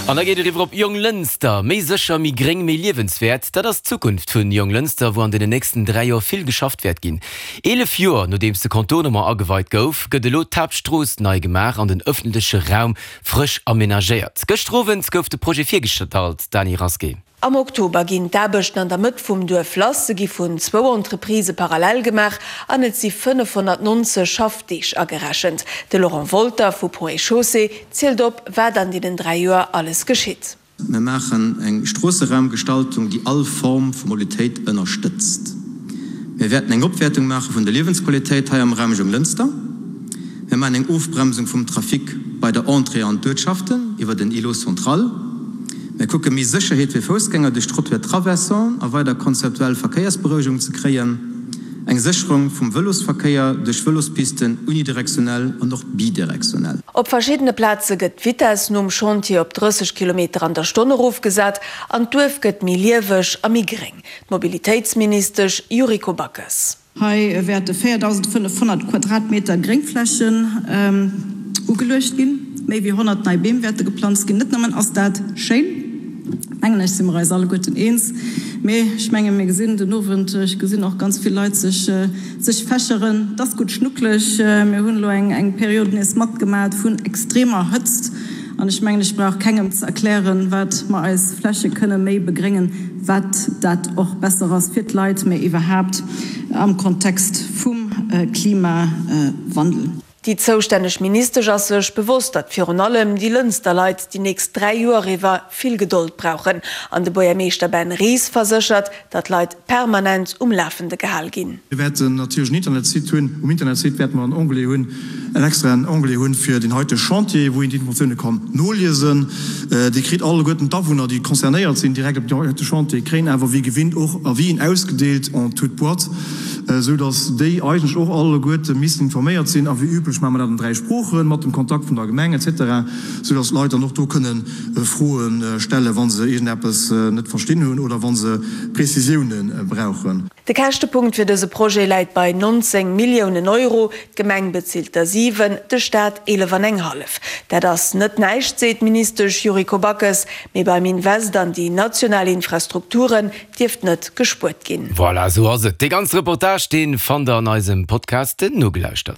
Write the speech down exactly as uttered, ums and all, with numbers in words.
An da geet et eriwwer op Jonglënster. Méi sécher, méi gréng, méi liewenswäert, dat ass d'Zukunft vun Jonglënster, wou an den nächsten dräi Joer vill geschafft wäert ginn. Eelef Joer nodeems de Contournement ageweit gouf, gëtt elo d'Haaptstrooss nei gemaach an den ëffentleche Raum frësch amenagéiert. Gëschter Owend gouf de Projet virgestallt, Dany Rasqué. Am Oktober ginn d'Aarbechten an der Mëtt vum Duerf lass. Se gi vun zwou Entreprisë parallel gemaach an et si fënnefhonnertnonzeg Schaffdeeg agerechent. De Laurent Wolter vu Ponts et Chaussées zielt op, wat an deenen dräi Joer alles geschitt. Mir maachen eng Stroosseraumgestaltung, déi all Form vu Mobilitéit ënnerstëtzt. Mir wäerten eng Opwäertung maache vun der Liewensqualitéit hei am Raum Jonglënster. Mir maachen eng Ofbremsung vum Trafic bei der Entrée an d'Uertschaften iwwer den Îlot central. Mir kucke méi Sécherheet fir Foussgänger duerch Trottoir traversant a weider konzeptuell Verkéiersberouegung ze kréien, eng Sécherung vum Vëlosverkéier duerch Vëlospisten unidirektionell an och bidirektionell. Op verschiddene Plaze gëtt d'Vitess nom Chantier op drësseg Kilometer an der Stonn erofgesat an d'Duerf gëtt méi lieweg a méi gréng. D'Mobilitéitsministesch Yuriko Backes. Hei wäerte véierdausendfënnefhonnert Quadratmeter Gréngflächen ugeluecht ginn. Méi wéi honnert nei Beem wäerte geplanzt ginn. Net nëmmen ass dat schéin, mengen ech, si mer eis alleguerten eens, mee ech menge mir gesinn den Owend, ech gesinn och ganz vill Leit sech sech fächeren, et ass gutt schnucklech. Mir hunn elo eng Period nees matgemat vun extremer Hëtzt. An ech mengen, ech brauch kengem ze erklären, wat mer eis Fläche kënne méi begréngen, wat dat och besser ass fir d'Leit, mä iwwerhaapt am Kontext vum Klimawandel. Déi zoustänneg Ministesch ass sech bewosst, datt virun allem déi Lënster Leit déi nächst dräi Joer iwwer vill Gedold brauchen. An de Buergermeeschter Ben Ries verséchert, datt d'Leit permanent um Lafende gehal ginn. Mir wäerten natierlech en Internetsite hunn. Um Internetsite wäerte mer en Onglet hunn, en extraen Onglet hunn fir deen heite Chantier, wou een déi Informatioune kann noliesen. Dir kritt alleguerten d'Awunner, déi concernéiert sinn, direkt op deen heite Chantier, kréien awer wéi gewinnt och Avisen ausgedeelt en toute boîte, esou datt déi eigentlech och alleguerte missten informéiert sinn. A wéi üblech maache mer dat an dräi Sproochen, mat dem Kontakt vun der Gemeng et cetera, esou datt d'Leit dann och do kënne Froe stellen, wa se iergendeppes net verstinn hunn oder wa se Prezisioune brauchen. De Käschtepunkt fir dëse Projet läit bei nonzéng Milliounen Euro. D'Gemeng bezilt der siwen, de Staat eelef an eng hallef. Dat ass net näischt, seet d'Ministesch Yuriko Backes, mee beim Invest an déi national Infrastrukturen dierft net gespuert ginn. Voilà, esou ass et. Dee ganze Reportage, dee fannt der an eisem Podcast nogelauschtert.